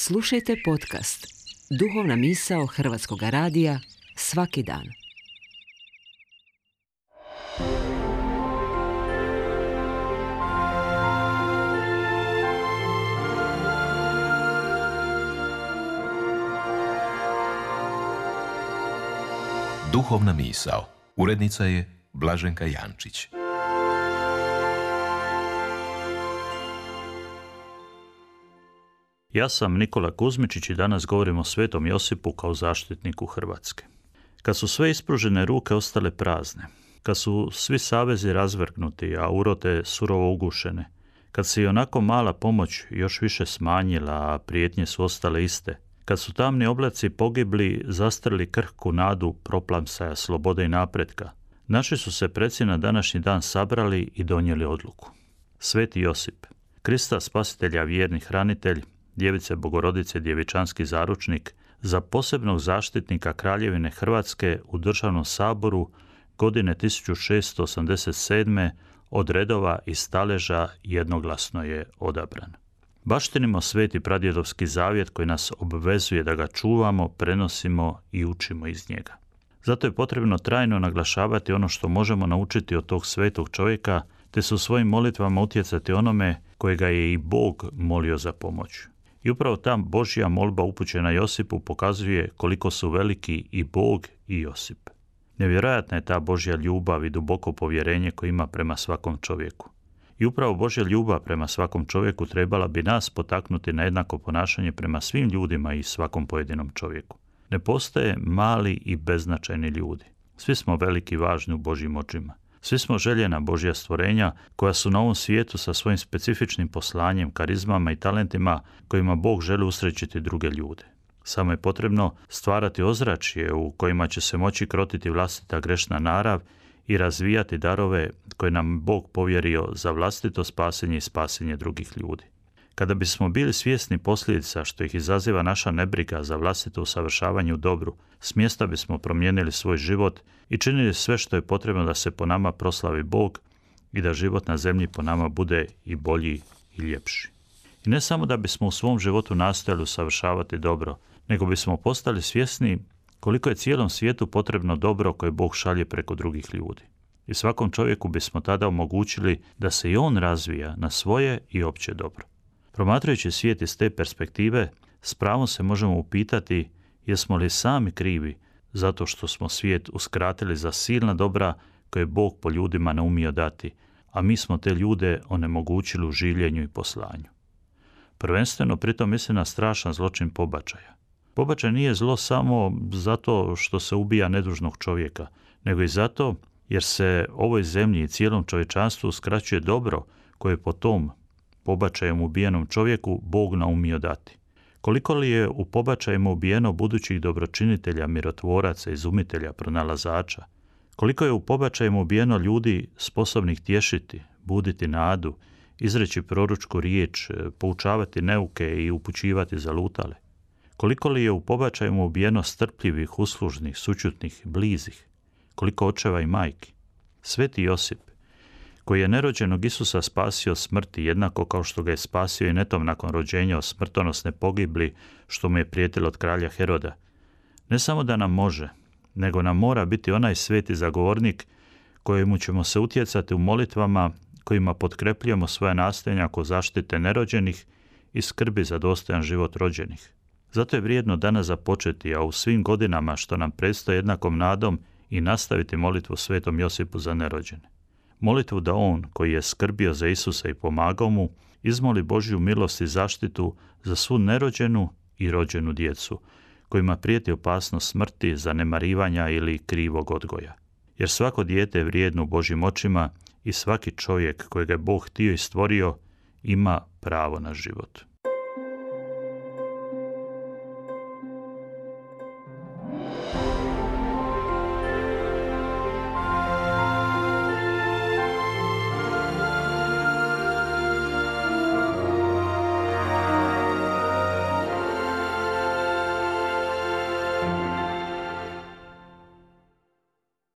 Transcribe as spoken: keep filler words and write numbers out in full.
Slušajte podcast Duhovna misao Hrvatskog radija svaki dan. Duhovna misao. Urednica je Blaženka Jančić. Ja sam Nikola Kuzmičić i danas govorim o Svetom Josipu kao zaštitniku Hrvatske. Kad su sve ispružene ruke ostale prazne, kad su svi savezi razvrgnuti, a urote surovo ugušene, kad se i onako mala pomoć još više smanjila, a prijetnje su ostale iste, kad su tamni oblaci pogibli, zastrli krhku nadu proplamsaja slobode i napretka, naši su se preci na današnji dan sabrali i donijeli odluku. Sveti Josip, Krista spasitelja vjerni hranitelj, Djevice Bogorodice djevičanski zaručnik, za posebnog zaštitnika Kraljevine Hrvatske u Državnom saboru godine tisuću šeststo osamdeset sedme od redova i staleža jednoglasno je odabran. Baštinimo sveti pradjedovski zavjet koji nas obvezuje da ga čuvamo, prenosimo i učimo iz njega. Zato je potrebno trajno naglašavati ono što možemo naučiti od tog svetog čovjeka, te su svojim molitvama utjecati onome kojega je i Bog molio za pomoć. I upravo ta Božja molba upućena Josipu pokazuje koliko su veliki i Bog i Josip. Nevjerojatna je ta Božja ljubav i duboko povjerenje koje ima prema svakom čovjeku. I upravo Božja ljubav prema svakom čovjeku trebala bi nas potaknuti na jednako ponašanje prema svim ljudima i svakom pojedinom čovjeku. Ne postoje mali i beznačajni ljudi. Svi smo veliki i važni u Božjim očima. Svi smo željena Božja stvorenja koja su na ovom svijetu sa svojim specifičnim poslanjem, karizmama i talentima kojima Bog želi usrećiti druge ljude. Samo je potrebno stvarati ozračje u kojima će se moći krotiti vlastita grešna narav i razvijati darove koje nam Bog povjerio za vlastito spasenje i spasenje drugih ljudi. Kada bismo bili svjesni posljedica što ih izaziva naša nebriga za vlastito usavršavanje u dobru, smjesta bismo promijenili svoj život i činili sve što je potrebno da se po nama proslavi Bog i da život na zemlji po nama bude i bolji i ljepši. I ne samo da bismo u svom životu nastojali usavršavati dobro, nego bismo postali svjesni koliko je cijelom svijetu potrebno dobro koje Bog šalje preko drugih ljudi. I svakom čovjeku bismo tada omogućili da se i on razvija na svoje i opće dobro. Promatrajući svijet iz te perspektive, s pravom se možemo upitati jesmo li sami krivi zato što smo svijet uskratili za silna dobra koje Bog po ljudima ne umio dati, a mi smo te ljude onemogućili u življenju i poslanju. Prvenstveno pritom mislim na strašan zločin pobačaja. Pobačaj nije zlo samo zato što se ubija nedužnog čovjeka, nego i zato jer se ovoj zemlji i cijelom čovječanstvu uskraćuje dobro koje po tom pobačajem ubijenom čovjeku Bog naumio dati. Koliko li je u pobačajima ubijeno budućih dobročinitelja, mirotvoraca, izumitelja, pronalazača? Koliko je u pobačajima ubijeno ljudi sposobnih tješiti, buditi nadu, izreći proročku riječ, poučavati neuke i upućivati zalutale? Koliko li je u pobačajima ubijeno strpljivih, uslužnih, sućutnih, blizih? Koliko očeva i majki? Sveti Josip, koji je nerođenog Isusa spasio smrti, jednako kao što ga je spasio i netom nakon rođenja od smrtonosne pogibli što mu je prijetilo od kralja Heroda, ne samo da nam može, nego nam mora biti onaj sveti zagovornik kojemu ćemo se utjecati u molitvama kojima potkrepljujemo svoje nastojanja oko zaštite nerođenih i skrbi za dostojan život rođenih. Zato je vrijedno danas započeti, a u svim godinama što nam predstoji jednakom nadom i nastaviti molitvu Svetom Josipu za nerođene. Molitvu da on, koji je skrbio za Isusa i pomagao mu, izmoli Božju milost i zaštitu za svu nerođenu i rođenu djecu, kojima prijeti opasnost smrti, zanemarivanja ili krivog odgoja. Jer svako dijete je vrijedno u Božjim očima i svaki čovjek kojega je Bog htio i stvorio ima pravo na život.